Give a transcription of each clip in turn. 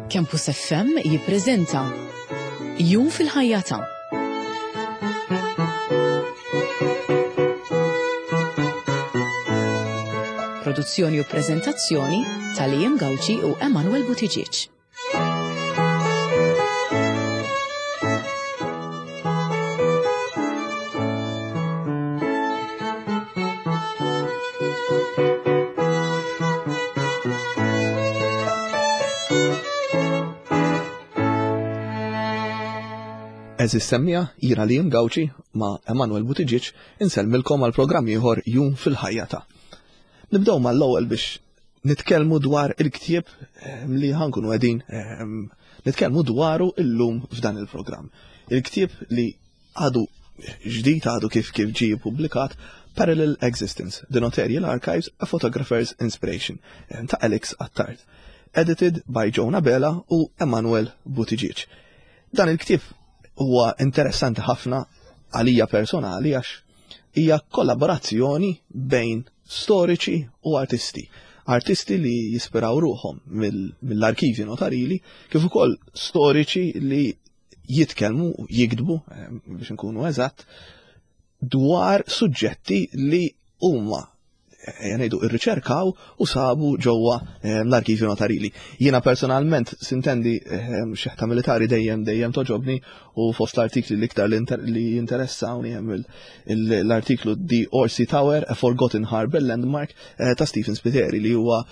Campus FM jippreżenta Jum fil-ħajja ta' Produzzjoni u preżentazzjoni ta' Liam Gauci u Emanuel Buttigieg. Eżis semmija, jina li Gauci ma' Emanuel Buttigieg insellmilkom għal programm ieħor Jum fil-ħajja ta'. Nibdew mal-ewwel biex nitkellmu dwar il-ktieb ehm, li ħankunu qegħdin ehm, nitkellmu dwaru illum f'dan il-programm. Il-ktieb li għadu ġdid għadu kif kif ġie publikat Parallel Existence, The Notarial Archives, A Photographer's Inspiration ehm, ta' Alex Attard. Edited by Jonah Bela u Emanuel Buttigieg. Dan il-ktieb huwa interessanti ħafna għalija personali għax hija kollaborazzjoni bejn storiċi u artisti. Artisti li jispiraw ruħhom mill-arkivji notarili, kif ukoll storiċi li jitkellmu, jiktbu, eh, biex nkunu eżatt, dwar suġġetti li huma eh, ngħidu irriċerkaw u sabu ġewwa eh, l-arkivju notarili. Jiena personalment sintendi eh, xeħta militari dejjem dejjem toġobni u fost l-artikli l-iktar li jinteressawni hemm l-artiklu The Orsi Tower, A Forgotten Harbor Landmark ta' Stephen Spiteri li huwa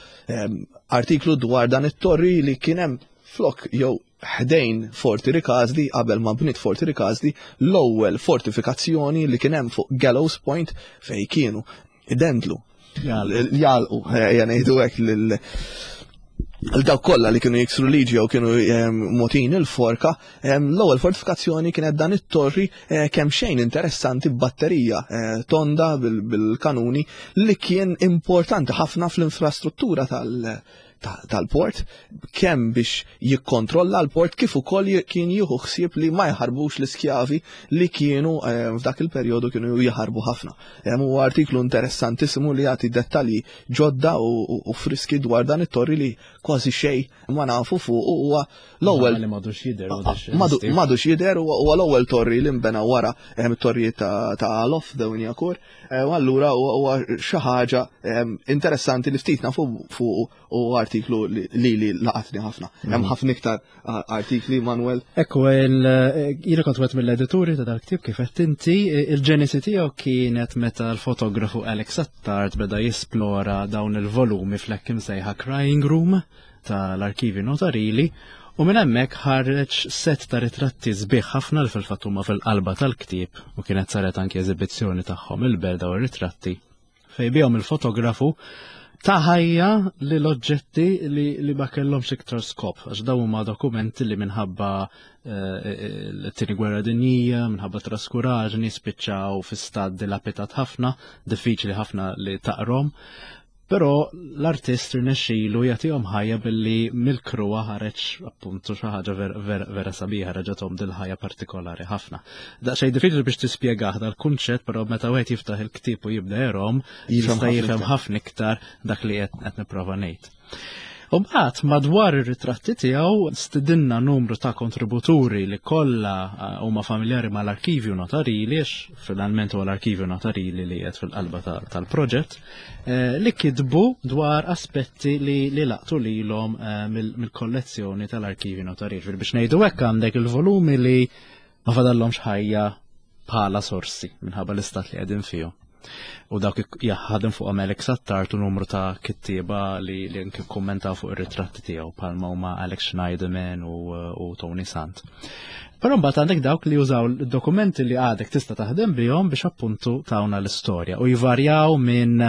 artiklu dwar dan it-torri li kien hemm flok jew ħdejn Forti Rikasdi qabel ma bniet Forti Rikasdi l-ewwel fortifikazzjoni li kien hemm fuq Gallows Point fej kienu idendlu jalqu eh, ngħidu hekk lil dawk kollha li kienu jiksru liġi jew kienu ehm, motin il-forka, ehm, l-ewwel fortifikazzjoni kienet dan it-torri eh, kemm xejn interessanti b'batterija eh, tonda bil-kanuni li kien importanti ħafna fl-infrastruttura tal- tal-port, kemm biex jikkontrolla l-port kif ukoll kien jieħu ħsieb li ma jħarbux l-iskjavi li kienu eh, f'dak il-perjodu kienu jaħarbu ħafna. Hemm huwa artiklu interessantissimu li jagħti dettalji ġodda u friski dwar dan it-torri li kważi xejn ma nafu fuq huwa l-ewwel li madux jidher madux jidher huwa l-ewwel torri li nbena wara eh, it-torrijiet ta' Alof Dewinjakur. Eh, u allura huwa xi ħaġa ehm, interessanti li ftit nafu fuq u artiklu li li laqatni ħafna. Hemm mhm. ħafna iktar artikli, Manuel. Ekku, eh, jiena kont wieħed mill-edituri ta' dal-ktieb kif qed inti, il-ġenesi tiegħu kienet meta l-fotografu Alex Attard beda jisplora dawn il-volumi fl-hekk imsejħa Crying Room tal-arkivi notarili u minn hemmhekk ħareġ set ta' ritratti sbieħ ħafna li fil-fatt huma fil-qalba tal-ktieb u kienet saret anki eżibizzjoni tagħhom il-bel daw ir-ritratti fejn bihom il-fotografu ta' ħajja li l-oġġetti li, li ma kellhomx iktar skop, għax dawn huma dokumenti li minħabba eh, l-tieni gwerra dinjija, minħabba traskuraġni, spiċċaw fi stat dilapitat ħafna, diffiċli ħafna li taqrom. Però l-artist rnexxilu jagħtihom ħajja billi mill-kruha ħareġ appuntu xi ħaġa vera, vera sabiħa reġgħethom dil-ħajja partikolari ħafna. Daqsxejn diffiċli biex tispjegah dal-kunċett, però meta wieħed jiftaħ il-ktieb u jibda jerhom, jista' jifhem ħafna iktar dak li qed nipprova ngħid. U mbagħad madwar ir-ritratti tiegħu stidinna numru ta' kontributuri li kollha eh, huma familjari mal-arkivju notarili, għax finalment huwa l-arkivju notarili li qed fil-qalba tal-proġett, eh, li kitbu dwar aspetti li, li laqtu lilhom eh, mill-kollezzjoni tal-arkivju notarili. Biex ngħidu hekk għandek il-volumi li ma fadallhomx ħajja bħala sorsi minħabba l-istat li qegħdin fihom. U dawk jaħadem fuq Alex Attard u numru ta' kittieba li li anke kkommentaw fuq ir-ritratti tiegħu bħalma huma Alex Schneiderman u, u Tony Sant. Però mbagħad għandek dawk li jużaw dokumenti li għadek tista' taħdem bihom biex appuntu tawna l-istorja u jvarjaw minn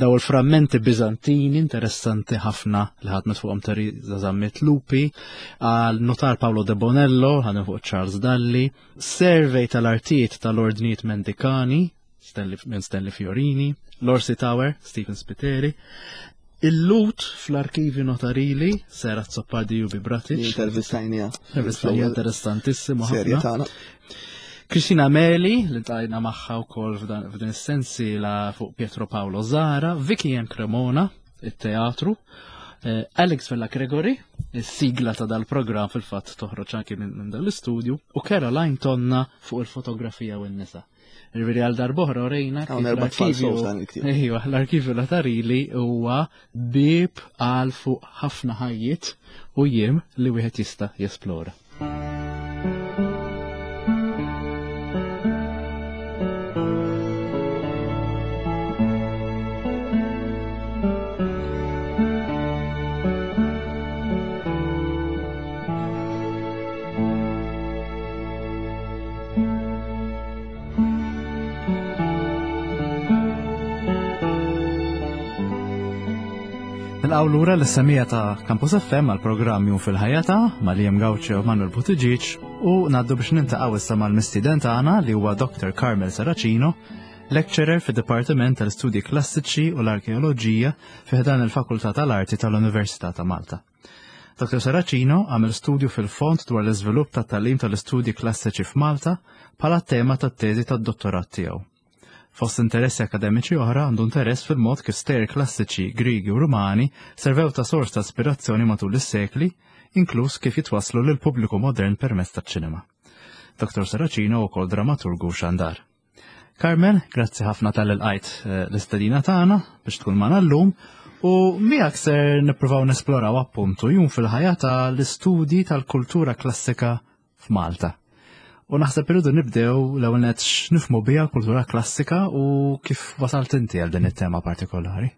daw il-frammenti Biżantini interessanti ħafna li ħadmet fuqhom Teresa Zammit Lupi għal notar Paolo De Bonello, ħadem fuq Charles Dalli, survey tal-artijiet tal-ordnijiet mendikani, Stanley, minn Stanley Fiorini, Lorsi Tower, Stephen Spiteri, Il-lut fl-arkivi notarili, Sera Zoppardi Jubi Bratic. Intervistajnija. Intervistajnija interessantissimo. Serja tagħna. Kristina Meli, li tajna magħha wkoll f'dan is-sensi la fuq Pietro Paolo Zara, Vicky M. Cremona, it-teatru. Eh, Alex Vella Gregory, is-sigla ta' dal-programm fil-fatt toħroġ anki minn dal-istudju, u Caroline Tonna fuq il-fotografija u n-nisa. Ġifieri għal darbohra orejna kif l-arkivju l-arkivju Latarili huwa bieb għal fuq ħafna ħajjiet u jiem li wieħed jista' jesplora. Nilqgħu lura l-semija ta' Campus FM għal programm Jum fil-ħajja ta' Maliem Gawċi u Manuel Buttigieg u ngħaddu biex nintaqgħu issa mal-mistieden tagħna li huwa Dr. Carmel Saracino, lecturer fid-Dipartiment tal-Istudji Klassiċi u l-Arkeoloġija fi ħdan il-Fakultà tal-Arti tal-Università ta' Malta. Dr. Saracino għamel studju fil-fond dwar l-iżvilupp tat-tagħlim tal-istudji klassiċi f'Malta bħala tema tat-teżi tad-dottorat tiegħu. Fost interessi akademiċi oħra għandu interess fil-mod kif stejjer klassiċi Griegi u Rumani servew ta' sors ta' ispirazzjoni matul is-sekli, inkluż kif jitwasslu lill-pubbliku modern permezz taċ-ċinema. Dr. Saracino wkoll dramaturgu u xandar. Carmel, grazzi ħafna tal-ilqajt eh, l-istedina tagħna biex tkun magħna llum u miegħek ser nippruvaw nesploraw appuntu jum fil-ħajja tal-istudji tal-kultura klassika f'Malta. U naħseb irridu nibdew l-ewwel nett x'nifhmu biha kultura klassika u kif wasalt inti għal din it-tema partikolari.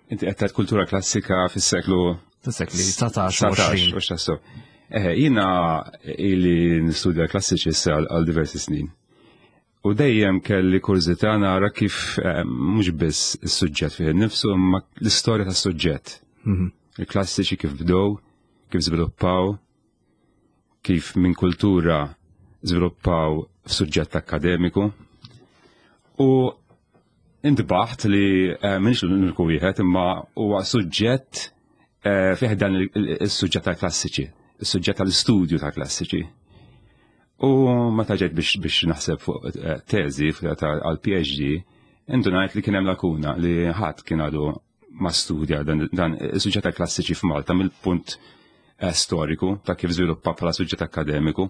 Inti qed tgħid kultura klassika fis-seklu Fis-sekli 19 u 20. Eh, jiena ili nistudja klassiċi issa għal diversi snin. U dejjem kelli kurżità nara kif eh, mhux biss is-suġġett fih innifsu imma l-istorja tas-suġġett. Mhm. Il-klassiċi kif bdew, kif żviluppaw, kif minn kultura żviluppaw f'suġġett akademiku. U intbaħt li eh, minix l-uniku wieħed imma huwa suġġett eh, fih dan is-suġġett tal-klassiċi, is-suġġett tal-istudju tal-klassiċi. U meta ġejt biex, biex naħseb fuq eh, teżi għal PhD, indunajt li kien hemm lakuna li ħadd kien għadu ma studja dan, dan is-suġġett tal-klassiċi f'Malta mill-punt eh, storiku ta' kif żviluppa bħala suġġett akademiku.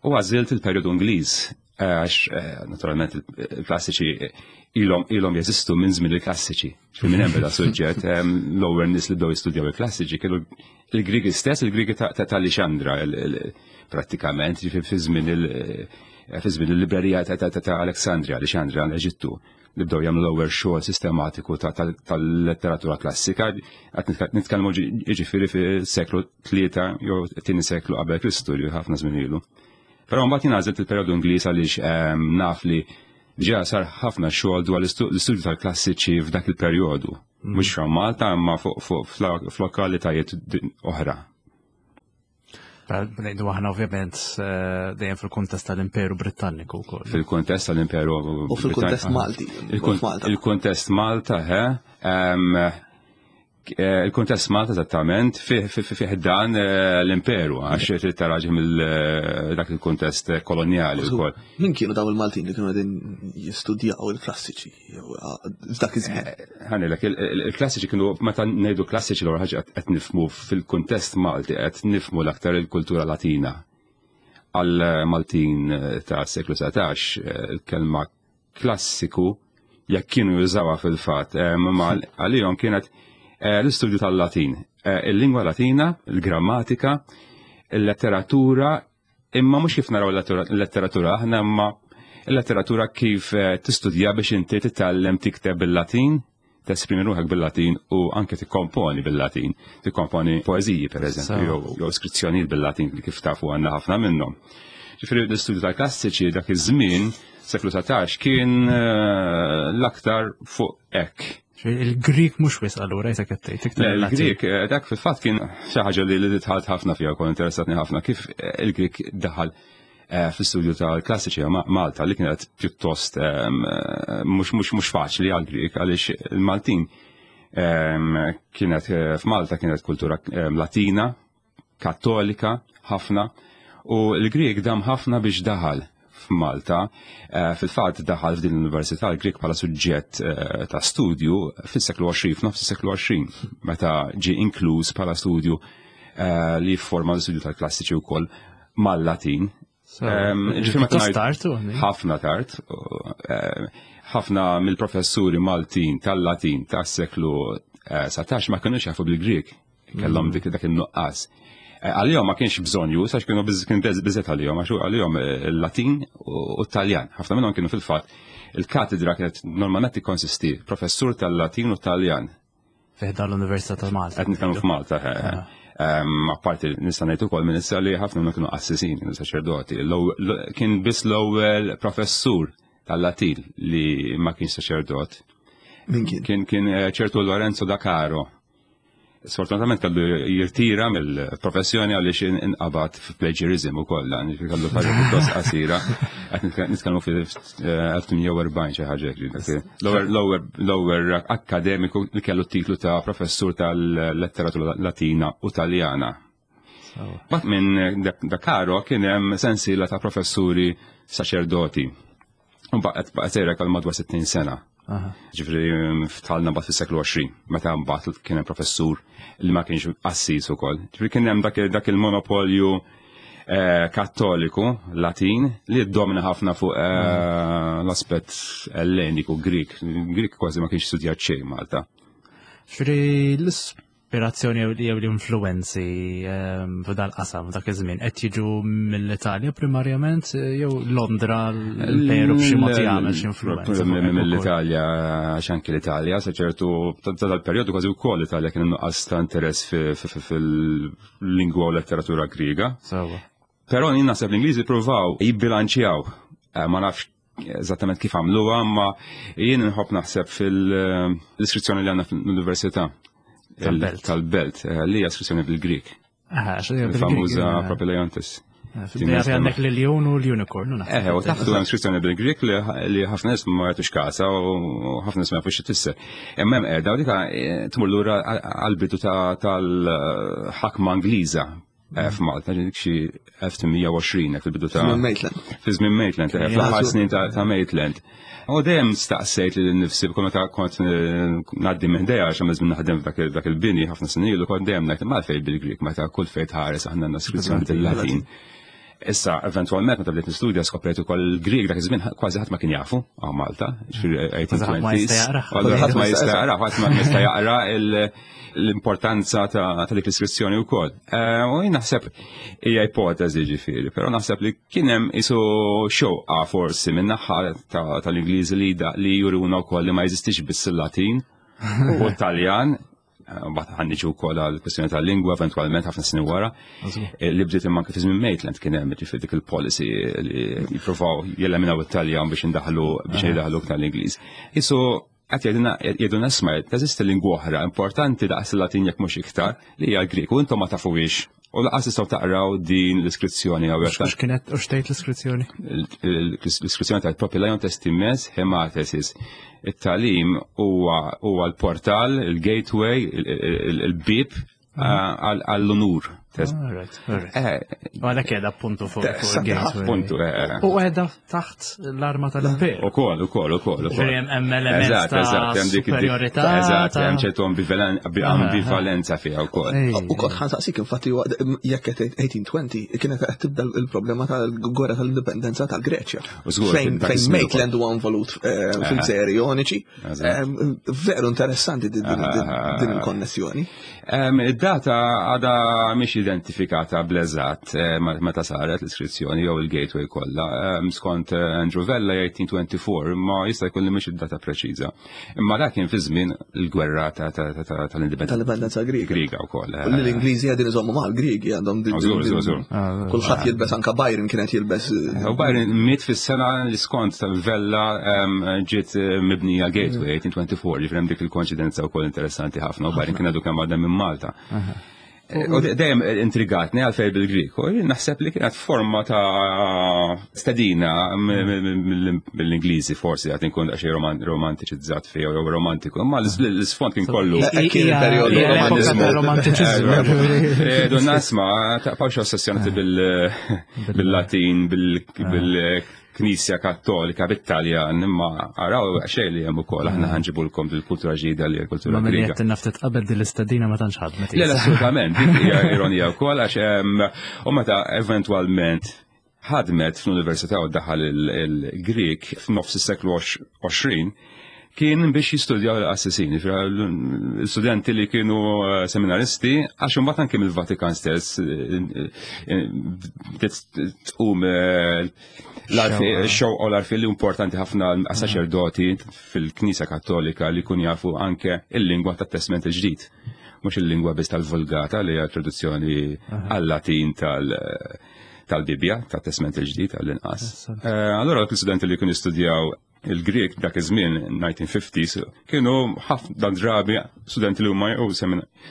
U għażilt il-perjodu Ingliż eh, għax naturalment il-klassiċi ilhom ilhom jeżistu minn żmien il-klassiċi. Minn hemm beda suġġett l-ewwel nies li bdew jistudjaw il-klassiċi kienu il-Grigi stess, il-Grigi ta' Lixandra prattikament, fi żmien il-librerija ta' Alexandria, Lixandra l-Eġittu, li bdew jagħmlu l-ewwel xogħol sistematiku tal-letteratura klassika, qed nitkellmu jiġifieri fis-seklu tlieta jew tieni seklu qabel Kristu li ħafna żmien ilu. Però mbagħad jien għażilt il-perjodu Ingliż għaliex naf li Diġà sar ħafna xogħol dwar l-istudju tal-klassiċi f'dak il-perjodu. Mm. Mhux fra Malta imma fuq f'lokalitajiet oħra. Ngħidu aħna ovvjament eh, dejjem fil-kuntest tal-Imperu Britanniku wkoll. Fil-kuntest tal-Imperu U fil-kuntest Malti. Il-kuntest Malta, he, Eh, il-kuntest Malta eżattament fih dan eh, l-imperu għax trid taraġi mill eh, dak il-kuntest kolonjali wkoll. Min kienu daw il-Maltin li kienu qegħdin jistudjaw il-klassiċi f'dak iż-żmien? Ħanilek, il-klassiċi kienu meta ngħidu klassiċi l ħaġa qed nifhmu fil-kuntest Malti qed nifhmu l-aktar il-kultura Latina. Għal Maltin ta' seklu 19 il-kelma klassiku jekk kienu jużawha fil-fatt, eh, ma għalihom kienet eh, l-istudju tal-Latin, eh, il-lingwa Latina, il-grammatika, il-letteratura, imma mhux kif naraw il-letteratura aħna imma il-letteratura kif tistudja biex inti titgħallem tikteb bil-Latin, tesprimi ruħek bil-Latin u anke tikkomponi bil-Latin, tikkomponi poeżiji per eżempju, jew iskrizzjonijiet bil-Latin li kif tafu għandna ħafna minnhom. Ġifieri l-istudju tal-klassiċi dak iż-żmien, seklu 19, kien eh, l-aktar fuq hekk. Il-Grik mhux wis allura jisek qed tgħid. Il-Grik eh, dak fil-fatt kien xi ħaġa li li dħalt ħafna fiha kont interessatni ħafna kif eh, il-Grik daħal Eh, fl-istudju tal-klassiċi Malta li kienet pjuttost ehm, eh, mhux mhux mhux faċli għal Grik għaliex il-Maltin ehm, kienet eh, f'Malta kienet kultura ehm, Latina, Kattolika ħafna u l-Grik dam ħafna biex daħal f'Malta. Eh, fil-fatt daħal f'din l-Università l-Grik bħala suġġett eh, ta' studju fis-seklu 20, f'nofs is-seklu 20, meta ġie inkluż bħala studju eh, li jifforma l-studju tal-klassiċi wkoll mal-Latin. Ħafna tard. Ħafna mill-professuri Maltin tal-Latin tas-seklu 19 ma kinux jafu bil-Grik. Kellhom mm. dik dak in-nuqqas. Eh, għalihom ma kienx bżonn już għax kienu kien biżet għalihom għax għalihom eh, il-Latin u t-Taljan. Ħafna minnhom kienu fil-fatt il-katedra kienet normalment tikkonsisti professur tal-Latin u Taljan. Fiħda l-Università ta' Malta. Qed nitkellmu f'Malta. Eh, ah. ehm, apparti nista' ngħid ukoll minn issa li ħafna minnhom kienu qassisin, kienu saċerdoti. Kien biss l-ewwel professur tal-Latin li ma kienx saċerdot. Min kien? Kien kien ċertu Lorenzo da Caro. Sfortunatament kellu jirtira mill-professjoni għaliex inqabad f'plagiarism ukoll, dan kellu karriera pjuttost qasira. Qed nitkellmu fil-1840 xi ħaġa hekk. L-ewwel akkademiku li kellu t-titlu ta' professur tal-letteratura Latina u Taljana. Bat minn Dakaro kien hemm sensiela ta' professuri saċerdoti. U baqgħet baqgħet sejra għal madwar 60 sena. Ġifri ftalna bat fis-seklu 20, meta mbagħad kien hemm professur li ma kienx qassis ukoll. Ġifri kien hemm dak il-monopolju eh, kattoliku Latin li ddomina ħafna fuq eh, l-aspett elleniku Grik. Grik kważi ma kienx studjat xejn Malta. Ġifri l-ispirazzjoni jew l-influenzi ehm, f'dal qasam dak iż-żmien qed jiġu mill-Italja primarjament eh, jew Londra l-Imperu b'xi mod jagħmel xi influenza. Mill-Italja għax anki l-Italja sa ċertu tal-perjodu kważi wkoll l-Italja kien nuqqas ta' interess fil-lingwa u letteratura Griega. Però jien naħseb l-Ingliżi pruvaw jibbilanċjaw eh, ma nafx eżattament kif għamluha, ma jien nħobb naħseb fil-iskrizzjoni li għandna fl-università tal-belt, eh, li hija iskrizzjoni bil-Grik. Il-famuża Propylaeontis. Eh, għandek l-ljun u l-unicorn. Eh, u taħtu hemm skrizzjoni bil-Grik li ħafna nies ma jagħtux kasa u ħafna nies ma jafux xi Imma hemm qiegħda u dika eh, tmur lura għall-bidu tal-ħakma Ingliża Eh, f'Malta, dik xi 1820 fil-bidu ta' Maitland. Fi żmien Maitland, eh, fl-aħħar snin ta' Maitland. U dejjem staqsejt li nifsi b'kun meta kont eh, ngħaddi minn ħdejja għax żmien naħdem f'dak il-bini ħafna snin ilu kont dejjem ngħid ma fejn bil-Grik meta kull fejn tħares aħna għandna skrizzjoni bil-Latin. Issa, eventualment, meta bdejt nistudja skoprejt ukoll il-Grieg dak iż-żmien kważi ħadd ma kien jafu għaw Malta, ġifieri 1820s. Ħadd ma jista' jaqra, ħadd ma jista' jaqra l-importanza ta' dik l-iskrizzjoni wkoll. Eh, u jien naħseb hija ipoteżi ġifieri, però naħseb li kien hemm isu xewqa forsi minn naħa tal-Ingliżi li li juruna wkoll li ma jeżistix biss il-Latin u t-Taljan, eh, Mbagħad ħanniġu wkoll għal kwestjoni tal-lingwa eventwalment ħafna snin wara. Eh, li bdiet imma kif żmien Maitland kien hemm ġifieri dik il-policy li jippruvaw jeleminaw it-Taljan biex indaħlu biex jdaħlu tal-Ingliż. Isu Qed jgħidilna jgħidulna isma' teżisti lingwa oħra importanti daqs il-Latin jekk mhux iktar li hija l-Grieg u intom ma tafuhiex. U laqas tistgħu taqraw din l-iskrizzjoni hawnhekk. X'kienet u x'tgħid l-iskrizzjoni? L-iskrizzjoni tgħid Propylaion Testimes Hematesis. It-tagħlim huwa l-portal, il-gateway, il-bib għall-unur. Eh, għalhekk qiegħda appuntu fuq il-gateway. Appuntu, eh, eh. U qiegħda taħt l-arma tal-imperu. Ukoll, ukoll, ukoll. Hemm element ta' superjorità. Eżatt, hemm ċertu ambivalenza fiha wkoll. Ukoll ħansaqsik infatti jekk qed 1820 kienet qed tibda l-problema tal-gwerra tal-indipendenza tal-Greċja. Fejn Maitland huwa involut fil-gżejjer Joniċi. Veru interessanti din il-konnessjoni. Id-data għada mhix identifikata bl-eżatt eh, meta saret l-iskrizzjoni jew il-gateway kollha. Skont eh, Andrew Vella 1824, imma jista' jkun li mhix id-data preċiża. Imma dak kien fi żmien il-gwerra tal-indipendenza. Tal-indipendenza Griega. Griega wkoll. Eh. L-Ingliżi qegħdin iżommu mal-Griegi għandhom din. Ah, Kulħadd jilbes anka Byron kienet jilbes. U Byron miet fis-sena li skont Vella ġiet mibnija Gateway 1824, ġifieri hemm dik il-konċidenza wkoll interessanti ħafna u Byron kien għadu kemm għadha minn Malta. U dejjem intrigatni għalfejn bil-Grik, u naħseb li kienet forma ta' stedina mill-Ingliżi forsi għad inkun daqsxejn romantiċizzat fih jew romantiku, imma l-isfond kien kollu. Kien il-perjodu romantiċiżmu. Eh, Donna isma' taqbawx ossessjonati bil-Latin, bil Knisja Kattolika bit-Taljan, imma araw xejn li hemm ukoll aħna ħanġibulkom dil-kultura ġdida li l-kultura Griega. Ma qed naftet qabel din l-istedina ma tantx ħadmet. Le, assolutament, dik hija ironija wkoll għax u meta eventwalment ħadmet fl-università u daħal il-Grieg f'nofs is-seklu 20 kien biex jistudjaw l-qassisin, l-studenti li kienu eh, seminaristi, għax imbagħad anke mill-Vatikan stess eh, eh, bdiet tqum l-xewqa u l-arfi li importanti ħafna għas-saċerdoti fil-Knisja Kattolika li kun jafu anke il-lingwa tat-Testment il-Ġdid, mhux il-lingwa biss tal-Vulgata li hija traduzzjoni għal-Latin tal- tal-Bibja, tat-Testment il-Ġdid għall-inqas. Allora l-studenti li kienu jistudjaw il-Grieg dak iż-żmien 1950s kienu ħafna drabi studenti li huma jew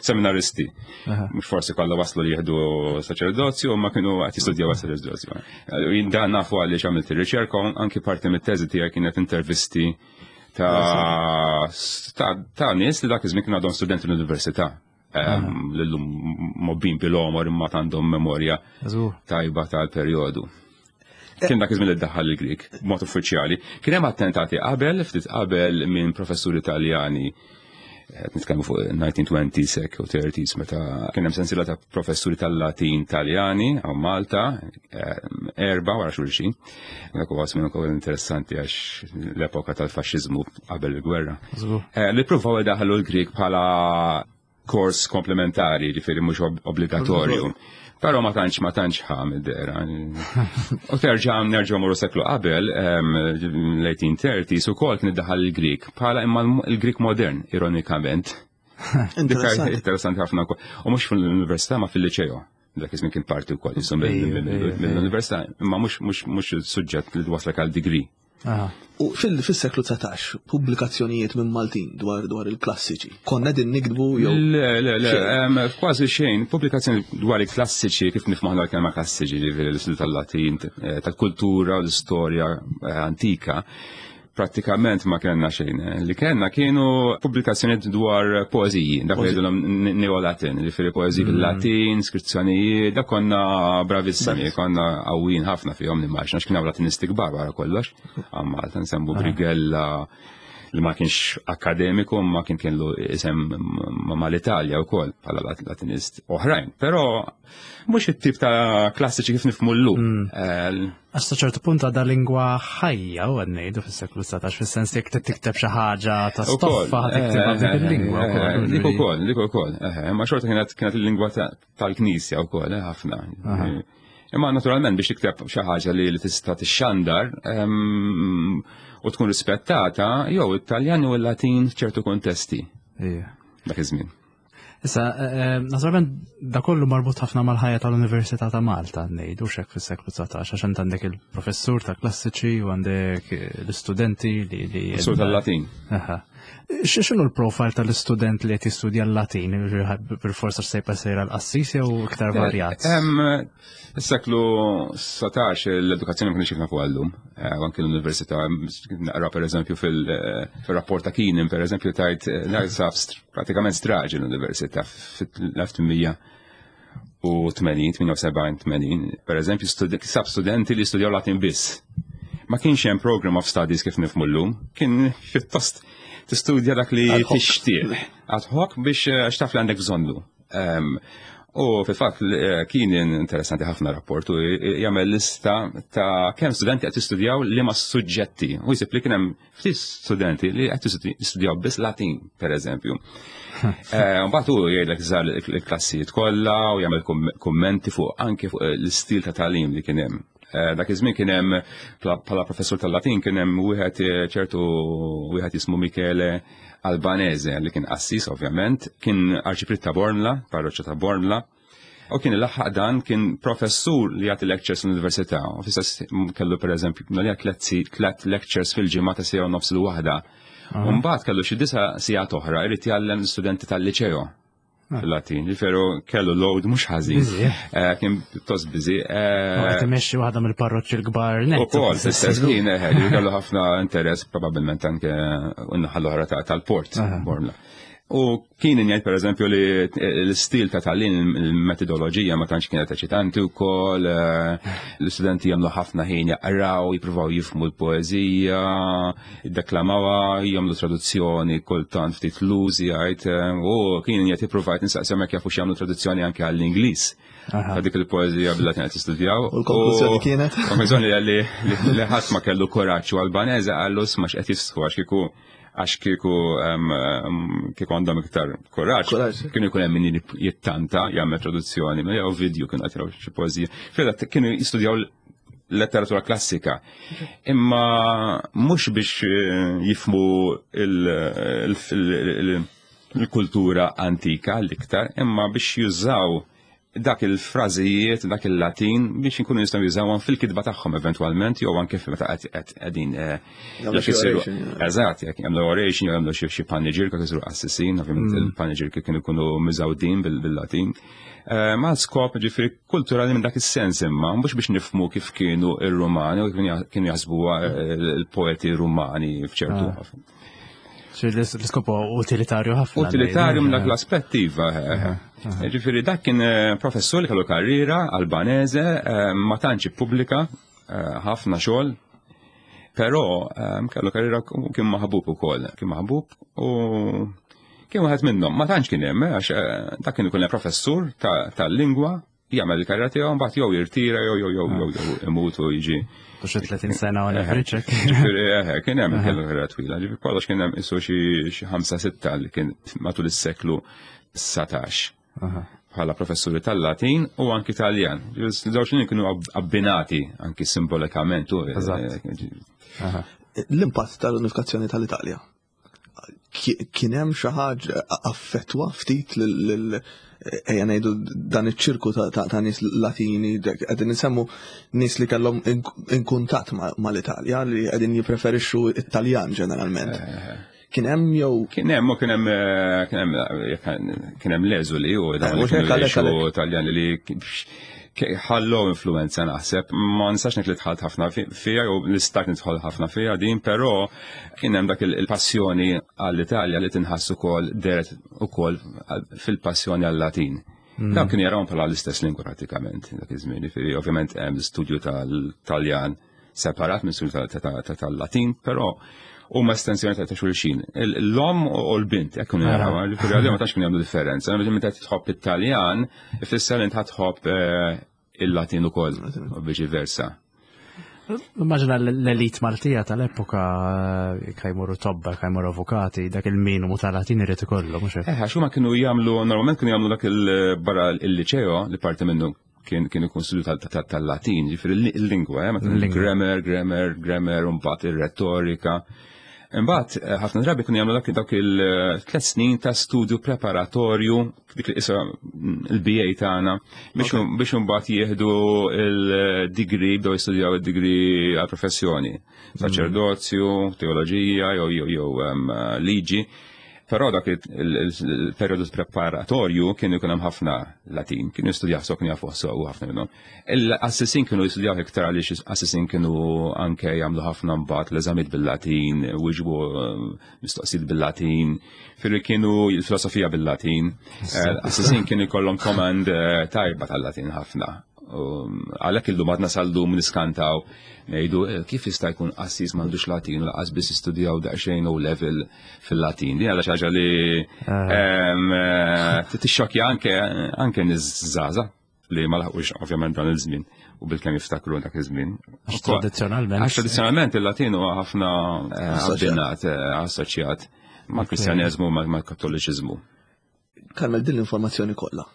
seminaristi. Mhux forsi kollha waslu li jieħdu saċerdozju, ma kienu qed jistudjaw saċerdozju. Jien dan nafu għaliex għamilt ir-riċerka anki parti mit-teżi tiegħi kienet intervisti ta' ta' nies li dak iż-żmien kienu għadhom studenti l-università. L-lum mobbin bil-omor imma għandhom memorja tajba tal-perjodu. Kien dak iż-żmien li ddaħħal il-Grik b'mod uffiċjali. Kien hemm attentati qabel, ftit qabel minn professuri Taljani qed nitkellmu fuq 1920s hekk u 30s meta kien hemm sensiela ta' professuri tal-Latin Taljani hawn Malta, erba' wara xulxin. Dak huwa żmien ukoll interessanti għax l-epoka tal-faxxiżmu qabel il-gwerra. Eh, li pruvaw idaħlu l-Grik bħala kors komplementari, ġifieri mhux obbligatorju. Però ma tantx ma tantx ħa mid-dera. U terġa' nerġgħu morru seklu qabel l-1830s ukoll kien iddaħħal il-Grik bħala imma l-Grik modern ironikament. Interessanti ħafna wkoll. U mhux fl-università ma fil-liċeo. Dak iż-żmien kien parti wkoll jisom mill-università, imma mhux il-suġġett li waslek għal degree. U fil-seklu 19, pubblikazzjonijiet minn Maltin dwar dwar il-klassiċi. Konna din nikdbu jew. Le, le, le, kważi xejn. Pubblikazzjoni dwar il-klassiċi, kif nifhmu aħna l-kelma klassiċi, ġifieri l-istil tal-Latin, eh, tal-kultura u l-istorja eh, antika prattikament ma kellna xejn. Li kellna kienu pubblikazzjonijiet dwar poeżiji, dak li jgħidulhom neolatin, ġifieri poeżiji mm. bil-Latin, skrizzjonijiet, dak konna bravissimi, konna qawwin ħafna fihom nimmaġna għax kien hawn Latinisti kbar wara kollox. Għam Malta nsemmu ah. Brigella li ma kienx akademiku ma kien kienlu isem mal-Italja wkoll bħala Latinist oħrajn. Però mhux it-tip ta' klassiċi kif nifhmu llum. Mm. Eh, Għax sa ċertu punt għadha lingwa ħajja u għad ngħidu fis-seklu 19 fis-sens jekk tikteb xi ħaġa ta' stoffa eh, tiktibha b'dik eh, il-lingwa eh, wkoll. Dik ukoll, dik ukoll. Ma xorta kienet kienet il-lingwa tal-Knisja wkoll ħafna. Imma naturalment biex tikteb xi ħaġa li tista' tixxandar ehm, u tkun rispettata jew it-Taljan u l-Latin f'ċertu kontesti. Dak iż-żmien. Issa, eh, eh, naturalment, da kollu marbut ħafna mal-ħajja tal-Università ta' Malta, ngħidu xek fis-seklu 19, għax int għandek il-professur ta' klassiċi u għandek eh, l-istudenti li. Professur tal-Latin. X'inhu l-profile tal-istudent li qed jistudja l-Latin, bil-forsa sejpa sejra l-qassis jew iktar varjat? Is-seklu 19 l-edukazzjoni ma kienx kif nafu għallum. Eh, anke l-università naqra pereżempju fil-rapport ta' Keenan pereżempju tajt eh, sab pratikament straġi l-università fil-1880, 78, 80. Pereżempju sab studenti li studjaw Latin biss. Ma kienx hemm program of studies kif nifhmu llum, kien pjuttost tistudja dak li tixtieq ad hoc biex eh, għax taf li għandek bżonnu. U fil-fatt eh, kien interessanti ħafna rapport u jagħmel lista ta' kemm studenti qed jistudjaw liema suġġetti. U jsib li kien hemm ftit studenti li qed jistudjaw biss Latin, pereżempju. Eh, mbagħad hu jgħidlek żar il-klassijiet kollha u jagħmel kummenti fuq anke fuq l-istil ta' tagħlim li kien hemm. Eh, dak iż-żmien kien hemm bħala professur tal-Latin kien hemm wieħed eh, ċertu wieħed jismu Michele Albanese li kien qassis ovvjament, kien arċipriet ta' Bormla, parroċċa ta' Bormla. U kien ilaħħaq dan kien professur li jagħti lectures l-università. U fis kellu pereżempju nalija tliet lectures fil-ġimgħa ta' sija u nofs il-waħda. U mbagħad kellu xi disa' sigħat oħra jrid jgħallem l-istudenti tal-liċeo. Ah. fil-Latin. Ġifieri kellu load mhux ħażin. Eh, kien pjuttost busy. Eh, qed imexxi waħda mill-parroċċi l-kbar net. Ukoll fl-istess ħin eh, kellu ħafna interess probabbilment anke n-naħa l-oħra tal-port Bormla. U kien jgħid pereżempju li l-istil ta' tagħlim il-metodoloġija ma tantx kienet eċitanti wkoll, eh, l-istudenti jagħmlu ħafna ħin jaqraw, jippruvaw jifhmu l-poeżija, jiddeklamawha, jagħmlu traduzzjoni kultant ftit lużi jgħid, eh, u kien jgħid jippruvajt nistaqsihom jekk jafux jagħmlu traduzzjoni anke għall-Ingliż. Ta' dik il-poeżija bil-Latin qed jistudjaw. U l-konklużjoni kienet? Konklużjoni li li ħadd ma kellu kuraġġ u Albanese qallu sma x'qed jistħu għax kieku għax kieku kieku għandhom iktar kuraġġ, kienu jkun hemm min jittanta jagħmel traduzzjoni, ma jew video kienu qed xi poeżija. Fil kienu jistudjaw letteratura klassika. Imma mhux biex eh, jifmu il-kultura antika l-iktar, imma biex jużaw dak il-frażijiet, dak il-Latin biex inkunu nistgħu jużawhom fil-kitba tagħhom eventwalment jew anke meta qed qegħdin eh, jekk isiru eżatt jekk jagħmlu oration jew jagħmlu xi paneġirka jisiru qassisin, ovvjament mm. il-paneġirka kienu jkunu miżawdin bil-Latin. Eh, ma skop ġifieri kulturali minn dak is-sens imma mhux biex nifhmu kif kienu ir-Rumani u kif kienu jaħsbuha eh, il-poeti Rumani f'ċertu ah. L-iskop utilitarju ħafna. Utilitarju minn dak l-aspett iva. Eh, eh. Ġifieri dak kien eh, professur li kellu karriera Albanese, ma tantx ippubblika ħafna xogħol, però kellu karriera kien maħbub ukoll, kien maħbub u kien wieħed minnhom. Ma tantx kien hemm għax dak kien ikun professur tal-lingwa jagħmel il-karriera tiegħu mbagħad jew jirtira jew jew jew jew jew imut u jiġi. Xi 30 sena u average Ġifieri eh, kien hemm kellu karriera twila, ġifieri kollox kien hemm isu xi ħamsa sitta li kien matul is-seklu 19. Bħala professuri tal-Latin u anki Taljan. Żewġ kienu abbinati anki simbolikament. Eh, L-impatt tal-unifikazzjoni tal-Italja kien hemm xi ħaġa affettwa ftit lil ejja ngħidu dan iċ-ċirku ta' nies Latini qegħdin insemmu nies li kellhom inkuntatt mal-Italja li qegħdin jippreferixxu it-Taljan ġeneralment. Eh, eh. Kien hemm jew Kien hemm u kien hemm eh, kien hemm kien hemm l-eżuli u dawn li kienu jgħixu Taljani li ħallu influenza naħseb, ma nistax ngħid li dħalt ħafna fiha jew nistak nidħol ħafna fiha din, però kien hemm dak il-passjoni għall-Italja li tinħass ukoll deret ukoll fil-passjoni għal-Latin. Mm. Dawn kienu jarawhom bħala l-istess lingwa pratikament dak iż-żmien, ovvjament hemm studju tal-Taljan separat minn studju tal-Latin, però huma estensjoni ta' xulxin. L-om u l-bint, jekk kienu jaraw, ġifieri għalihom ma tantx kienu jagħmlu differenza. Meta tħobb it-Taljan, ifisser li inti tħobb eh, il-Latin ukoll u viċi versa. Immaġina l-elit Maltija tal-epoka eh, kajmuru tobba, kajmuru avukati, dak il-minimu tal-Latin irid ikollu, mhux hekk. Eh, għax huma kienu jagħmlu normalment kienu jagħmlu dak il-barra il-liċeo li parti minnu kien kien ikun studju tal-Latin, ġifieri l-lingwa, eh, grammar, grammar, grammar, u mbagħad ir-retorika. Imbagħad eh, ħafna drabi kienu jagħmlu dak dawk il-tliet snin ta' studju preparatorju dik li isa mm, il-BA tagħna biex imbagħad jieħdu il-degree bdew jistudjaw id-degree għall-professjoni, saċerdozju, teoloġija jew jew jew liġi. Però dak il-periodu preparatorju kienu jkun hemm ħafna Latin, kienu jistudjaw so kienu jafu sew ħafna minnhom. Il-assisin kienu jistudjaw iktar għaliex assisin kienu anke jagħmlu ħafna mbagħad l-eżamijiet bil-Latin, wiġbu eh, mistoqsijiet bil-Latin, firri kienu il-filosofija bil-Latin. Eh, Assisin kienu jkollhom command eh, tajba tal-Latin ħafna. Um, għalhekk illum għadna sal-lum niskantaw ngħidu kif jista' jkun qassis m'għandux Latin u laqas biss istudjaw daqsxejn O level fil-Latin. Din għadha xi ħaġa li ah. eh, tixxokja anke anke nies żgħażagħ li ma laħqux ovvjament dan il-żmien u bil-kemm jiftakru dak iż-żmien. Għax tradizzjonalment. Għax tradizzjonalment il-Latin huwa ħafna eh, abbinat, eh, assoċjat mal-Kristjaneżmu mal-Kattoliċiżmu. Karmel din l-informazzjoni kollha.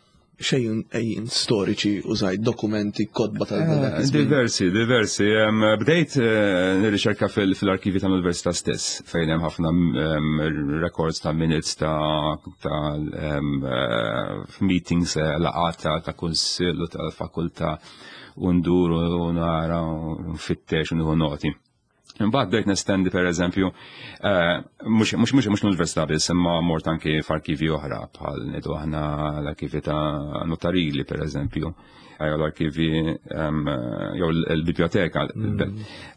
Xejn ejjin storiċi użajt dokumenti, kotba tal eh, Diversi, diversi. Bdejt eh, nirriċerka fil-arkivi tal-Università stess, fejn hemm ħafna records ta' minutes ta' eh, meetings laqgħat ta' kunsill u tal-fakultà u ndur u nara u nfittex u nieħu noti. Imbagħad bdejt nestendi pereżempju eh, mhux mhux mhux mhux l-università biss, imma mort anki f'arkivi oħra bħal ngħidu aħna l-arkivi ta' notarili pereżempju, eh, jew l-arkivi ehm, jew l-biblioteka. Mm.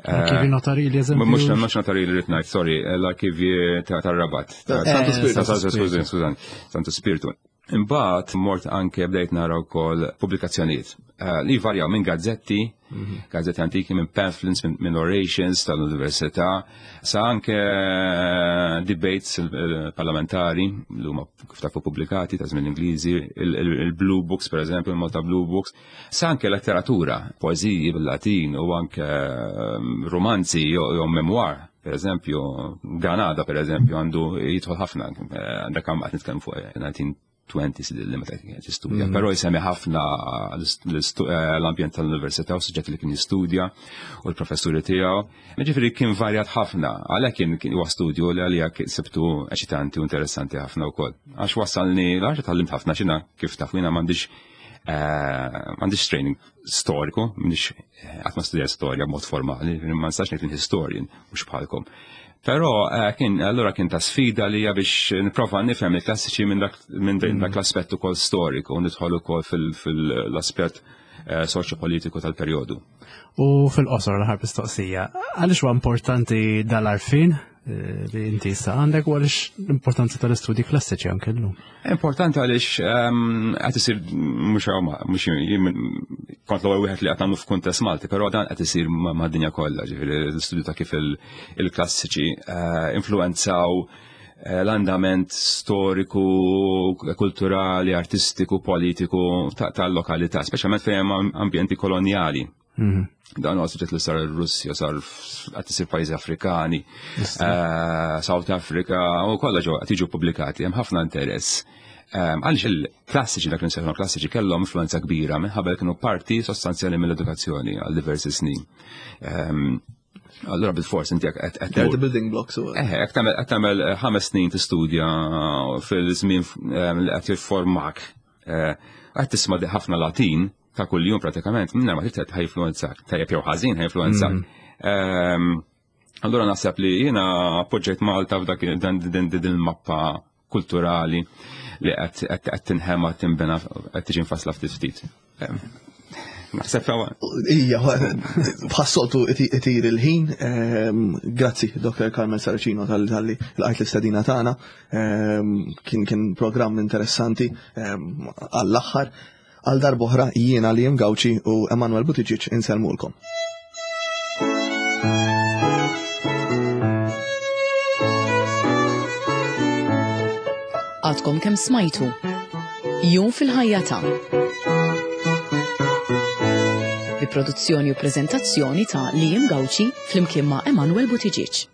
Eh, arkivi notarili eżempju. Mhux mhux notarili rid ngħid, sorry, l-arkivi tar-Rabat. Santo Spirito. Skużani, Santo Spirito. Imbagħad mort anke bdejt nara wkoll pubblikazzjonijiet eh, li varjaw minn gazzetti, mhm. gazzetti antiki, minn pamphlets, minn orations tal-università, sa anke eh, debates eh, parlamentari li huma kif tafu pubblikati ta' żmien Ingliżi, il-Blue Books pereżempju, il-Malta Blue Books, sa anke letteratura, poeżiji bil-Latin u anke romanzi jew memoir. Per eżempju, Granada, per eżempju, għandu jidħol ħafna, eh, dak għam għat nitkellem fuq 1920s eh, li meta kien jistudja, mm. però jsemmi ħafna eh, l-ambjent tal-università u suġġetti li kien jistudja u l-professuri tiegħu. Ġifieri kien varjat ħafna, għalhekk kien kien huwa studju li għalija sibtu eċitanti u interessanti ħafna wkoll. Għax wassalni, għax tgħallimt ħafna xina kif taf jiena m'għandix m'għandix training storiku, m'għandix qatt ma studja storja b'mod formali, ma nistax ngħid historian mhux bħalkom. Però eh, kien allura kien ta' sfida li biex nipprova nifhem il-klassiċi minn dak minn dak mm. l-aspett ukoll storiku u nidħol ukoll fil-aspett eh, soċjopolitiku tal-perjodu. U fil-qosor l-ħar mistoqsija, għaliex huwa importanti dal-arfin Eh, li inti issa għandek u għaliex l-importanza tal-istudji klassiċi anke llum. Importanti għaliex ehm, qed isir mhux mhux kont l-ewwel wieħed li qed nagħmlu f'kuntest Malti, però dan qed isir mad-dinja kollha, ġifieri l-istudju ta' kif il-klassiċi eh, influenzaw eh, l-andament storiku, kulturali, artistiku, politiku tal-lokalità, speċjalment fejn hemm ambjenti kolonjali. Mhm. Dan huwa suġġett li sar ir-Russja, sar qed isir pajjiżi Afrikani, eh, South Africa, u kollha ġew qed jiġu pubblikati, hemm ħafna interess. Ehm, għaliex il-klassiċi dak li nsejħu klassiċi kellhom influenza kbira minħabba li kienu parti sostanzjali mill-edukazzjoni għal diversi snin. Ehm, allura bil-fors inti qed qed building blocks u. Eh, qed tagħmel eh, ħames snin tistudja fil-żmien ehm, li qed jifformak. Eh, qed tisma' ħafna Latin ta' kuljum pratikament, minna ma trid ħajfluwenzak, tajjeb jew ħażin ħajfluwenzak. Mm. Ehm, allura naħseb li jiena appoġġejt Malta f'dak din din il-mappa kulturali li qed tinħema tinbena qed tiġi nfassla ftit ftit. Ehm, naħseb Ija, bħas-soltu itir il-ħin. Ehm, grazzi, Dr. Carmel Saracino tal-li l-għajt l-istadina tagħna. Kien kien programm interessanti għall-aħħar. Għal darb'oħra jiena Liam Gauci u Emanuel Buttigieg insellmulkom. Għadkom kemm smajtu. Jum fil-ħajja ta' bi produzzjoni u preżentazzjoni ta' Liam Gauci flimkien ma' Emanuel Buttigieg.